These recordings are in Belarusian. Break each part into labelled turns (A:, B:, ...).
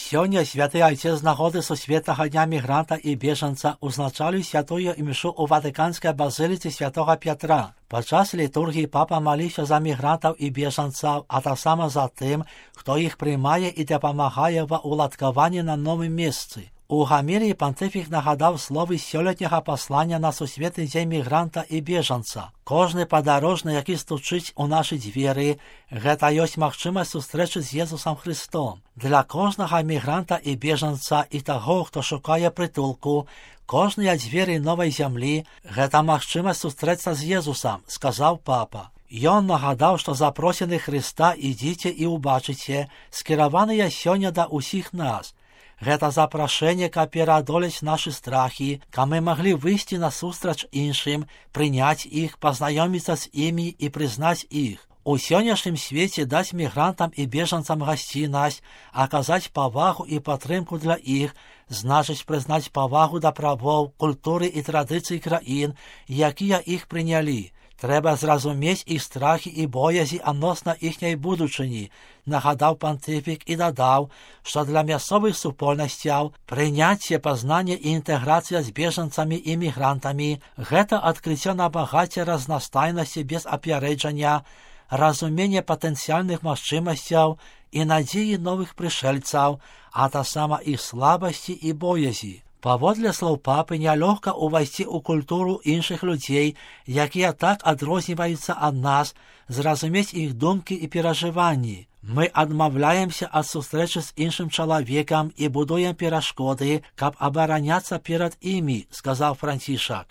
A: Сёння святы айцец з нагоды сусветнага дня мігранта і бежанца узначаліў святую імшу ў Ватыканскай базыліцы святого Пятра. Падчас літургіі папа маліўся за мігрантаў і бежанцаў, а таксама за тым, хто іх прымае і дапамагае ва ўладкаванні на новым месцы. У гаміліі пантыфік нагадаў словы сёлетняга паслання на сусветны дзень мігранта і бежанца. Кожны падарожны, які стучыць у нашы дзверы, гэта ёсць магчымасць сустрэчы з Езусам Христом. Для кожнага мігранта і бежанца і таго, хто шукае прытулку, кожныя дзверы новай зямлі – гэта магчымасць сустрэцца з Езусам, сказаў папа. Ён нагадаў, што запросены Христа «Ідзіце і ўбачыце» скіраваныя сёння да ўсіх нас. Гэта запрашэнне, каб пераадолець нашы страхі, каб мы маглі выйсці насустрач іншым, прыняць іх, пазнаёміцца з імі і прызнаць іх. У сённяшнім свеце даць мігрантам і бежанцам гасціннасць, аказаць павагу і падтрымку для іх, значыць прызнаць павагу да правоў, культуры і традыцый краін, якія іх прынялі. Трэба зразумець іх страхі і боязі адносна іхняй будучыні, нагадаў пантыфік і дадаў, што для мясцовых супольнасцяў прыняцце, пазнанне і інтэграцыя з бежанцамі і мігрантамі – гэта адкрыццё на багацце разнастайнасці без апярэджання, разуменне патэнцыяльных магчымасцяў і надзеі новых прышэльцаў, а таксама іх слабасці і боязі. Паводле слоў папы, нялёгка ўвайсці ў культуру іншых людзей, якія так адрозніваюцца ад нас, зразумець іх думкі і перажыванні. Мы адмаўляемся ад сустрэчы з іншым чалавекам і будуем перашкоды, каб абараняцца перад імі, сказаў Францішак.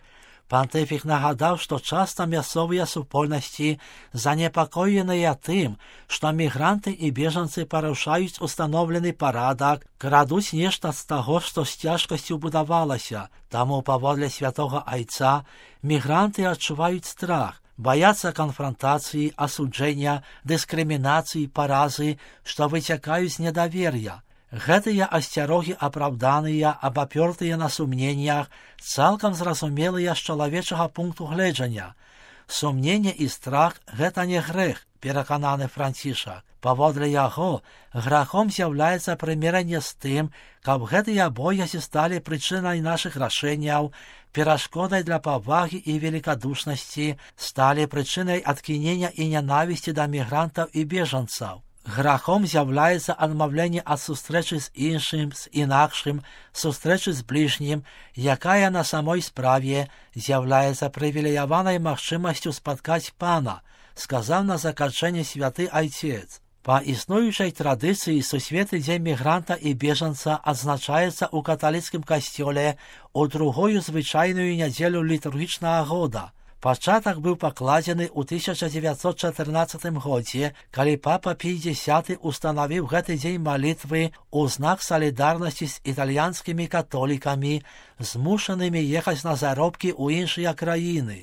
A: Пантыфік нагадаў, што часта мясцовыя супольнасці занепакоеныя тым, што мігранты і бежанцы парушаюць устаноўлены парадак, крадуць нешта з таго, што з цяжкасцю будавалася. Таму, паводле святога айца, мігранты адчуваюць страх, баяцца канфрантацыі, асуджэння, дыскрымінацыі, паразы, што выцякаюць з недавер'я. Гэтыя асцярогі апраўданыя, абапёртыя на сумненнях, цалкам зразумелыя з чалавечага пункту гледжання. Сумненне і страх – гэта не грэх, перакананы Францішак. Паводле яго, грахом з'яўляецца прымірэнне з тым, каб гэтыя боязі сталі прычынай нашых рашэнняў, перашкодай для павагі і великадушнасці, сталі прычынай адкінення і нянавісці да мігрантаў і бежанцаў. Грахом з'яўляецца адмаўленне ад сустрэчы з іншым, з інакшым, сустрэчы з бліжнім, якая на самой справе з'яўляецца прывілеяванай магчымасцю спаткаць Пана, сказаў на заканчэнне святы айцец. Па існуючай традыцыі сусветны дзень мігранта і бежанца адзначаецца ў каталіцкім касцёле ў другую звычайную нядзелю літургічнага года. Пачатак быў пакладзены ў 1914 годзе, калі папа Пій X устанавіў гэты дзень малітвы ў знак салідарнасці з італьянскімі католікамі, змушанымі ехаць на заробкі ў іншыя краіны.